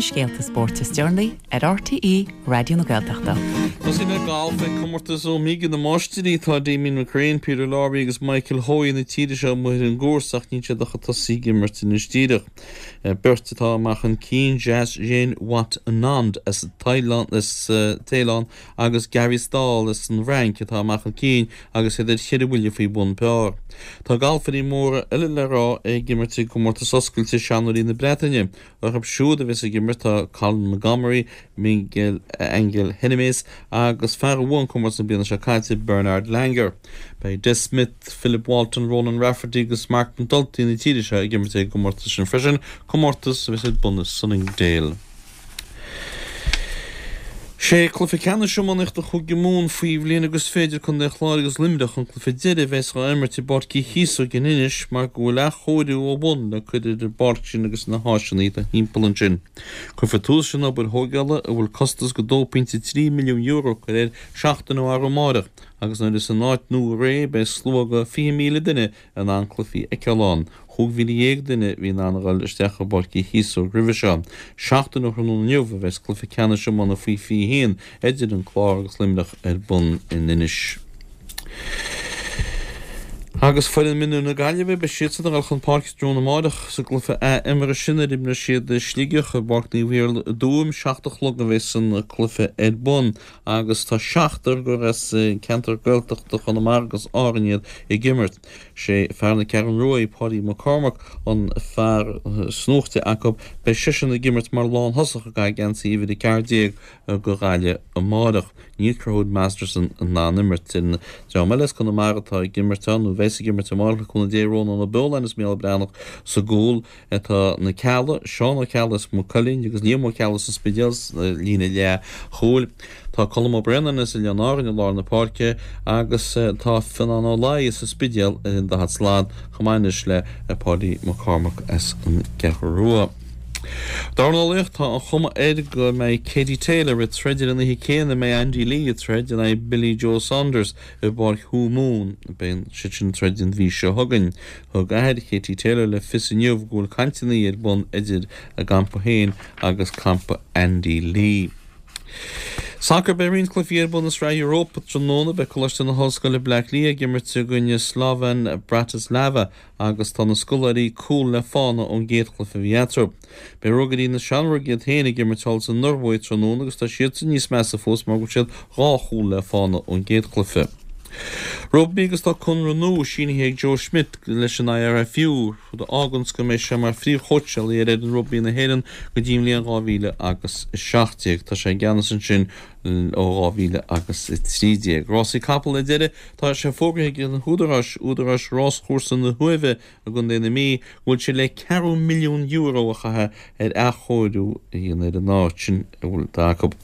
Na scéalta spóirt is deireanaí ar RTÉ Raidió na Gaeltachta. Tosaí le galf ag Comórtas Omega na Máistirí. Tá Damien McCrane, Peter Lawrie agus Michael Hoey na tíre seo amuigh ar an gcúrsa ach níl siad ach ag tosaí ag imirt anois díreach. Beirt atá amach chun cinn, Jazz Janewattananond as Téalainn agus Gary Stahl as an bhFrainc atá amach chun cinn agus iad ar cheithre bhuille faoi bhun par. Tá galfairí móra eile le rá ag imirt i gComórtas Oscailte Seanóirí na Breataine. Orthu siúd a bheas ag imirt tá Colin Montgomerie, Miguel Angel Jimenez agus fear a bhuaigh an comórtas na bliana seo caite, Bernard Langer. Beidh Des Smith, Philip Walton, Ronan Rafferty agus Marc McNulty na tíre seo ag imirt ag an gcomórtas sin freisin, comórtas a bheas ar bun i Sunningdale. Sé cluiche ceannais iománaíochta Chúige Mumhan faoi bhliain agus fiche idir Contae an Chláir agus Luimneach an cluiche deiridh a bheas á imirt i bPáirc Uí Chíosóg in Inis mar go bhfuil athchóiriú ó bhun le cur ar an bpáirc sin agus na háiseanna atá thimpeall ansin. Cuirfear tús leis an obair thógála, a bhfuil costas go €2.3 milliún curtha air, seachtain ó arú amáireach agus nuair a bheas an áit nua réidh beidh slua go 20,000 duine in ann cluichí a fheiceáil ann. 15,000 duine a bhí in ann a dhul isteach i bPáirc Uí Chíosóg roimhe seo. Seachtain ó thráthnóna inniu a bheas cluiche ceannais iomána faoi 21 idir an Clár agus Luimneach ar bun in Inis. Agus foireann mionúir na Gaillimhe, beidh siadsan ag dul chun páirce tráthnóna amáireach sa gcluiche ath-imeartha sin ar imreoidh siad Sligeach i bPáirc Naomh Iarlaith i dTuaim. 7 a chlog a bheas an cluiche ar bun agus tá seachtar gur as ceantar Gaeltachta Chonamara agus Árann iad ag imirt. Sé fear na Ceathrún Rua, Páidí Mac Cormaic, an fear snúichte acu. Beidh seisean ag imirt mar lánthosach ag caitheamh geansaí uimhir 14 do Ghaillimh amáireach. Níl Conchúr Masterson in ann imirt. An dream eile as Conamara atá ag imirt ann, nó a bheas ag imirt amáireach le cúnamh Dé, Rónán Ó Beoláin is Mícheál Breathnach sa gcúl. Tá na Ceallaigh, Seán Ó Ceallaigh as Maigh Cuilinn agus Liam Ó Ceallaigh as an Spidéal sa líne leath chúil. Tá Colm Ó Braonáin as Oileáin Árann i lár na páirce agus tá Fionán Ó Laoi as an Spidéal ar an daichead slat chomh maith anois le Páidí Mac Cormaic as an gCeathrú Rua. Dornálaíocht, Tá an chuma air go mbeidh Katie Taylor ag troid ar an oíche céanna a mbeidh Andy Lee ag troid in aghaidh Billy Joe Saunders i bPáirc Thú Mumhan. Beidh siad sin ag troid an mhí seo chugainn. Thug athair Katie Taylor le fios inniu go bhfuil cainteanna ar bun idir a gcampa féin agus campa Andy Lee. Sacar Beidh roinnt cluichí ar bun i Sraith Europa tráthnóna. Beidh Coláiste na hOllscoile Bleá Cliath ag imirt i gcoinne Slovan Bratislava agus tá na scoláirí cúl le fána ón gcéad chluiche a bhí eatarthu. Beidh Ruagairí na Seamróige iad féin ag imirt thall sa Ioruaidh tráthnóna agus tá siadsan níos measa fós mar go bhfuil siad dhá chúl le fána ón gcéad chluiche. Rugbaí agus tá conradh nua sínithe ag Joe Schmidt leis an IRFU, rud a fháganns go mbeidh sé mar phríomhchóitseálaí ar fhoireann rugbaí na hÉireann go dtí an bhliain 2017. Tá sé i gceannas ansin ó 2013. Rásaí capall ar deireadh, tá sé fógraithe ag na húdaráis, údaráis Ráschúrsa na hUaimhe i gContae na Mí, go bhfuil siad le ceathrú milliún euro a chaitheamh ar athchóiriú a dhéanamh ar an áit sin a bhfuil acu.